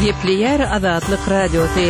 Gepleýär Azatlyk Radiosy.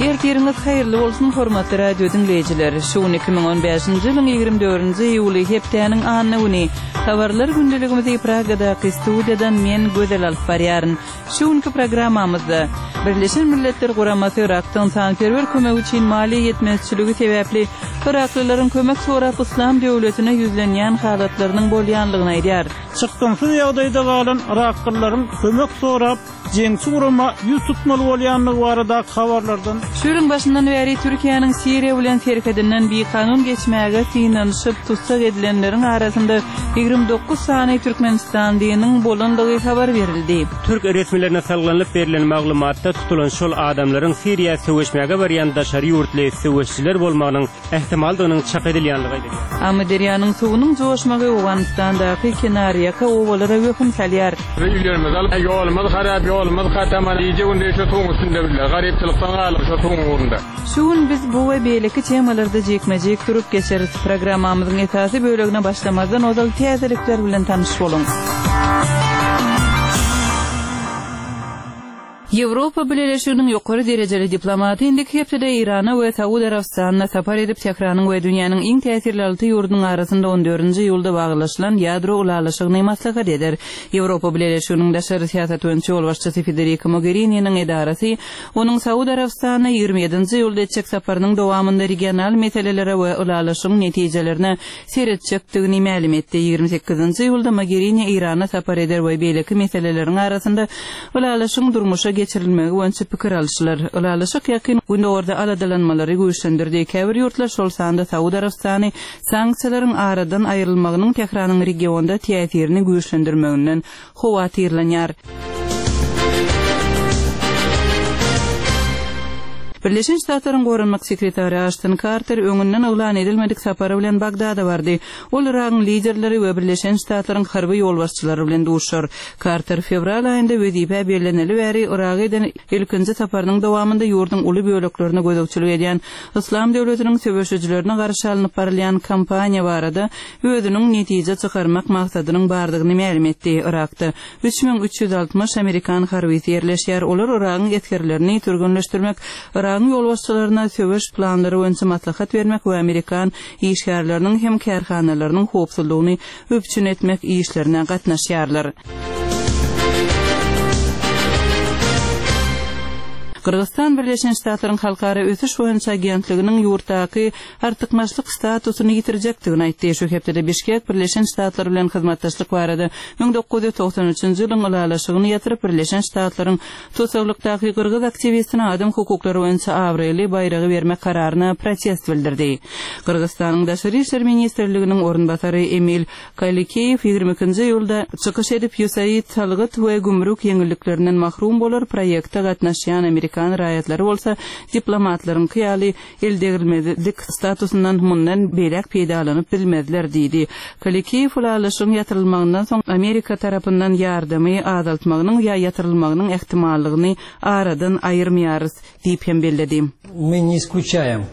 Ertiriňiz haýyrly bolsun, hormatly radio diňleýjiler! Şu gün 2015-nji ýylyň 24-nji iýuly, hepdäniň anna güni. Habarlar gündeligimizi Pragadaky studiýadan men, Gözel alyp barýaryn. Şu günki programmamyzda, Birleşen Milletler Guramasy Yrakda ynsanperwer kömegi üçin maliýe ýetmezçiligi sebäpli yraklylaryň kömek sorap Yslam döwletine ýüzlenýän halatlarynyň bolýanlygyny aýdýar. Çykgynsyz ýagdaýda galan yraklylaryň kömek sorap jeňçi gurama ýüz tutmaly bolýandygy baradaky habarlardan. Şu ýylyň başyndan bäri Türkiýäniň Siriýa bilen serhedinden bikanun geçmäge synanyşyp tussag edilenleriň arasynda 29 sany türkmenistanlynyň bolandygy habar berildi. Türk resmilerine salgylanyp berlen maglumatda tutulan şol adamlaryň Siriýa söweşmäge barýan daşary ýurtly söweşijiler bolmagynyň ähtimaldygynyň çak edilýänligi aýdylýar. Amyderýanyň suwunyň joşmagy Owganystandaky kenarýaka obalara wehim salýar. Öýlerimizi alyp, ýolumyz harap, ýolumyz gataman, gije-gündiz şu suwuň üstünde bile, garypçylykdan galyp şu suwuň ugrunda. Şu gün biz bu we beýleki temalarda jikme-jik durup geçeris. Programmamyzyň esasy bölegine başlamazdan ozal täzelikler bilen tanyş boluň. Ýewropa Bileleşiginiň ýokary derejeli diplomaty indiki hepdede Eýrana we Saud Arabystanyna sapar edip, Tähranyň we dünýäniň iň täsirli alty ýurdunyň arasynda on dördünji iýulda baglaşylan ýadro ylalaşygyny maslahat eder. Ýewropa Bileleşiginiň daşary syýasat boýunça ýolbaşçysy Federika Mogherininiň edarasy Onuň Saud Arabystanyna 27-nji iýulda etjek saparynyň dowamynda regional meselelere we ylalaşygyň netijelerine seretjekdigini mälim etdi. 28-nji iýulda Mogerini Eýrana sapar eder we beýleki meseleleriň arasynda ylalaşygyň durmuşa geçirilmegi boýunça pikir alyşylar. Ylalaşyk Ýakyn Gündogarda aladalanmalary güýçlendirdi. Käbir ýurtlar, şol sanda Saud Arabystany sanksiýalaryň aradan aýrylmagynyň Tähranyň regionda täsirini güýçlendirmeginden howatyrlanýar. Birleşen Ştatlaryň Goranmak sekretary Aşton Karter öňünden yglan edilmedik sapary bilen Bagdada bardy. Ol Yragyň liderleri we Birleşen Ştatlaryň harby ýolbaşçylary bilen duşar. Karter fewral aýynda wezipä belleneli bäri Yraga eden ilkinji saparynyň dowamynda ýurduň uly böleklerine gözegçilik edýän Yslam döwletiniň söweşijilerine garşy alnyp barylýan kampaniýa barada özüniň netije çykarmak maksadynyň bardygyny mälim etdi. Yrakda 3360 amerikan harbysy ýerleşýär, olar Yragyň esgerlerini türgenleşdirmek, Yragyň ýolbaşçylaryna söweş planlary boýunça maslahat bermek we amerikan işgärleriniň hem kärhanalarynyň howpsuzlygyny üpjün etmek işlerine gatnaşýarlar. Gyrgyzystan Birleşen Ştatlaryň Halkara ösüş boýunça agentliginiň ýurtdaky artykmaçlyk statusyny ýitirjekdigini aýtdy. Şu hepdede Bişkek Birleşen Ştatlar bilen hyzmatdaşlyk barada 1993-nji ýylyň ylalaşygyny ýatyryp, Birleşen Ştatlaryň tussaglykdaky gyrgyz aktiwistine adam hukuklary boýunça abraýly baýragy bermek kararyna protest bildirdi. Gyrgyzystanyň Daşary işler ministrliginiň orunbasary Emil Kalikeýew 22-nji iýulda çykyş edip, USAID salgyt we gümrük ýeňilliklerinden mahrum bolar, proýekte gatnaşýan amerikan raýatlary bolsa diplomatlaryňky ýaly eldegrilmezlik statusyndan mundan beýläk peýdalanyp bilmezler diýdi. Kalikiýew ylalaşygyň ýatyrylmagyndan soň Amerika tarapyndan ýardamy azaltmagynyň ýa ýatyrylmagynyň ähtimallygyny aradan aýyrmaýarys diýip hem belledi. Мы не исключаем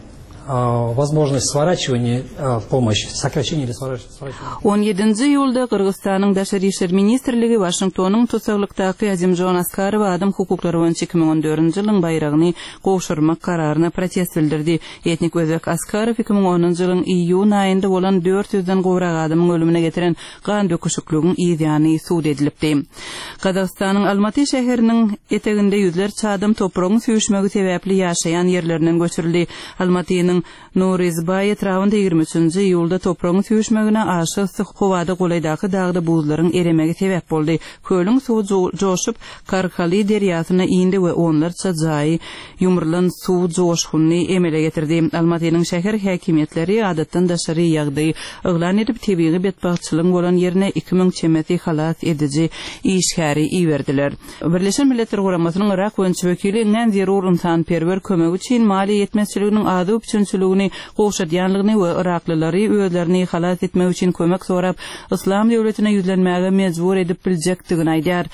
возможность сворачивания помощи, сокращения или сворачивания. On ýedinji iýulda Gyrgyzystanyň Daşary işler ministrligi Waşingtonyň tussaglykdaky Azimjon Askarowa adam hukuklary boýunça 2014-nji ýylyň baýragyny gowşurmak kararyna protest bildirdi. Etnik özbek Askarow 2010-njy ýylyň iýun aýynda bolan dört ýüzden gowrak adamyň ölümine getiren gan döküşikligiň yz ýany sud edilipdi. Gazagystanyň Almaty şäheriniň eteginde ýüzlerçe adam topragyň süýşmegi sebäpli ýaşaýan ýerlerinden göçürildi. Almatynyň Nuryzbaý etrabynda 23-nji iýulda topragyň süýşmegine aşa yssy howada golaýdaky dagda buzlaryň eremegi sebäp boldy. Kölüň suwy joşup, Karkaly derýasyna indi we onlarça jaýy ýumrulan suw joşgunyny emele getirdi. Almatynyň şäher häkimiýetleri adatdan daşary ýagdaý yglan edip, tebigy betbagtçylygyň bolan ýerine 2000 çemesi halas ediji işgäri iberdiler. Birleşen Milletler Guramasynyň Yrak boýunça wekili iňňän zerur ynsanperwer kömegi üçin maliýe ýetmezçiliginiň azyk üpjünçiligini gowşadýanlygyny we yraklylary özlerini halas etmek üçin kömek sorap Yslam döwletine ýüzlenmäge mejbur edip biljekdigini aýdýar.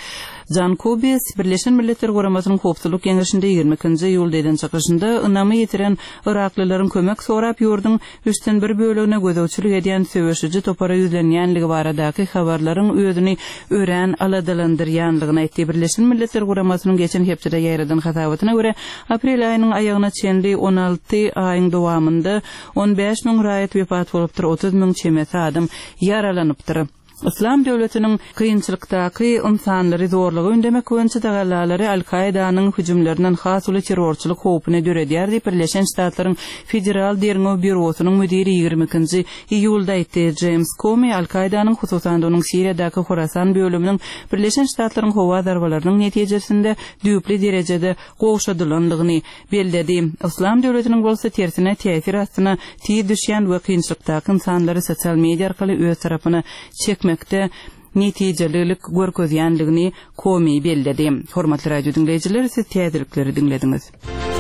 Jan Kubis Birleşen Milletler Guramasynyň Howpsuzlyk Geňeşinde 22-nji iýulda eden çykyşynda ynamy ýitiren yraklylaryň kömek sorap ýurduň üçden bir bölegine gözegçilik edýän söweşiji topara ýüzlenýänligi baradaky habarlaryň özüni örän aladalandyrýanlygyny aýtdy. Birleşen Milletler Guramasynyň geçen hepdede ýaýradan hasabatyna görä, aprel aýynyň aýagyna çenli 16 aýyň dowamynda 15 müň raýat wepat bolupdyr, 30 müň çemesi adam ýaralanypdyr. Yslam döwletiniň kynçylykdaky ynsanlary zorluga ündemek boýunça tagallalary Al-Kaidanyň hüjümlerinden has uly terrorçylyk howpuny döredýär diýip, Birleşen Ştatlaryň Federal derňew býurosynyň müdiri 22-nji iýulda aýtdy. Jeýms Komi Al-Kaidanyň, hususan-da onuň Siriýadaky Horasan bölüminiň Birleşen Ştatlaryň howa zarbalarynyň netijesinde düýpli derejede gowşadylandygyny belledi. Yslam döwletiniň bolsa tersine täsir astyna tiz düşýän we kynçylykdaky ynsanlary sosial media arkaly öz tarapyna çekmekde netijelilik görkezýändigini Komi belledi. Hormatly radio diňleýjiler, siz täzelikleri diňlediňiz.